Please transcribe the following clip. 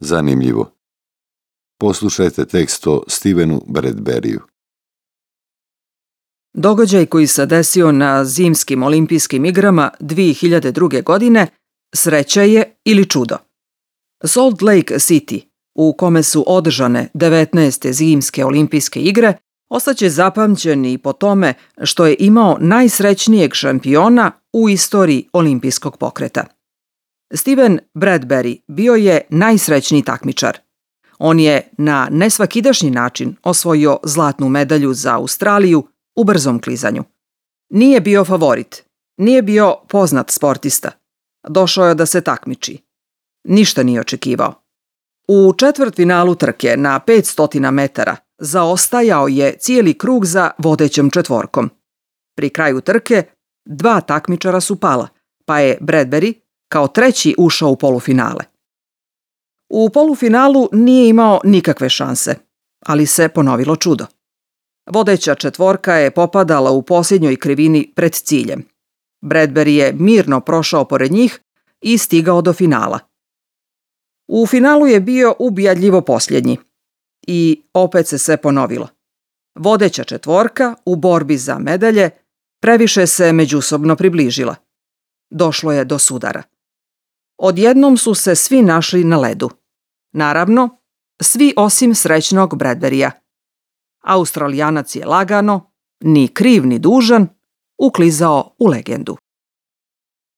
zanimljivo. Poslušajte tekst o Stevenu Bradburyju. Događaj koji se desio na zimskim olimpijskim igrama 2002. godine sreća je ili čudo. Salt Lake City, u kome su održane 19. zimske olimpijske igre, ostaće zapamćen i po tome što je imao najsrećnijeg šampiona u istoriji olimpijskog pokreta. Steven Bradbury bio je najsrećniji takmičar. On je na nesvakidašnji način osvojio zlatnu medalju za Australiju u brzom klizanju. Nije bio favorit, nije bio poznat sportista. Došao je da se takmiči. Ništa nije očekivao. U četvrtfinalu trke na 500 metara zaostajao je cijeli krug za vodećom četvorkom. Pri kraju trke 2 takmičara su pala, pa je Bradbury kao treći ušao u polufinale. U polufinalu nije imao nikakve šanse, ali se ponovilo čudo. Vodeća četvorka je popadala u posljednjoj krivini pred ciljem. Bradbury je mirno prošao pored njih i stigao do finala. U finalu je bio ubijadljivo posljednji. I opet se sve ponovilo. Vodeća četvorka u borbi za medalje previše se međusobno približila. Došlo je do sudara. Odjednom su se svi našli na ledu. Naravno, svi osim srećnog Bradburyja. Australijanac je lagano, ni kriv ni dužan, uklizao u legendu.